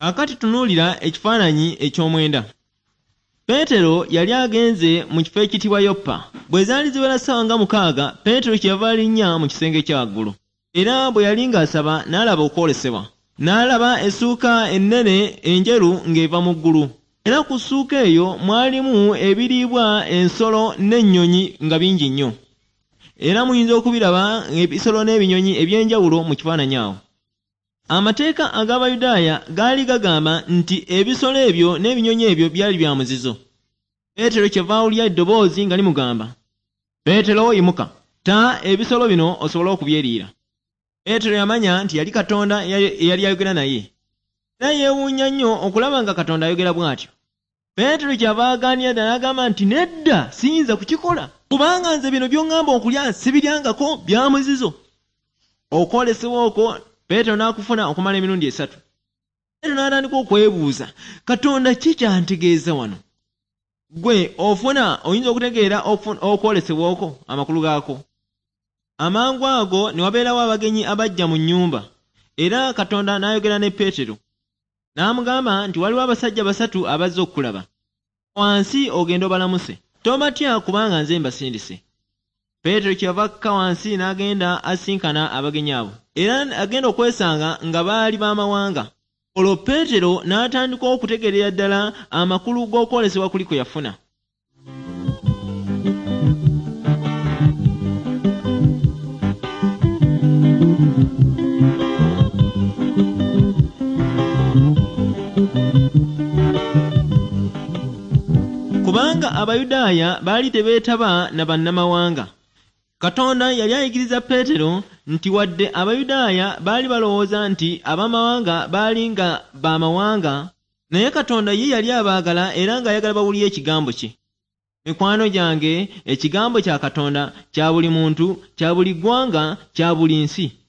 Kaakati tunuulira ekifaananyi eky'omwenda. Peetero yali agenze mu kifo ekiyitibwa Yopa. Bwe zaali ziwera ssaawa nga 6, Peetero kyeyava alinnya mu kisenge ekya waggulu. Era bwe yali ng'asaba, n'alaba okwolesebwa. N'alaba essuuka ennene enjeru ng'eva mu ggulu. Era ku ssuuka eyo mwalimu ebiriibwa ensolo n'ennyonyi nga bingi nnyo. Era muyinza okubiraba ebisolo n'ebinyonyi eby'enjawulo mu kifaananyi awo. Amateeka ag'Abayudaaya gaali gagamba nti ebisolo ebyo n'ebinyonyi ebyo byali bya muzizo. Peetero kyava awulira eddoboozi nga limugamba, Peetero yimuka, tta ebisolo bino osobole okubyeriira. Peetero yamanya nti yali Katonda eyali ayogera naye. Era yeewuunya nnyo okulaba nga Katonda ayogera bw'atyo. Peetero kyava agaanira ddala n'agamba nti, Nedda, siyinza kukikola, kubanga nze bino by'oŋŋamba okulya sibiryangako, bya muzizo. Okwolesebwa okwo Peetero n'akufuna okumala emirundi 3. Peetero n'atandika okwebuuza, Katonda ki ky'antegeeza wano? Ggwe ofuna oyinza okutegeera okwolesebwa okwo, amakulu gaakwo? Amangu ago ne wabeerawo abagenyi abajja mu nnyumba, era Katonda n'ayogera ne Peetero. N'amugamba nti waliwo abasajja 3 abazze okukulaba. Wansi ogende obalamuse. Tobatya kubanga nze mbasindise. Peetero kyeyava akka wansi n'agenda asinkana abagenyi abo. Era agenda okwesanga nga baali b'amawanga. Olwo Peetero n'atandika okutegeerera ddala amakulu g'okwolesebwa kuli kwe yafuna. Kubanga Abayudaaya baali tebeetaba na bannamawanga. Katonda yali ayigiriza Peetero nti wadde Abayudaaya baali balowooza nti ab'amawanga baali nga b'amawanga, naye Katonda ye yali abaagala era ng'ayagala bawulire ekigambo kye. Mikwano gyange, ekigambo kya Katonda kya buli muntu, kya buli ggwanga, kya buli nsi.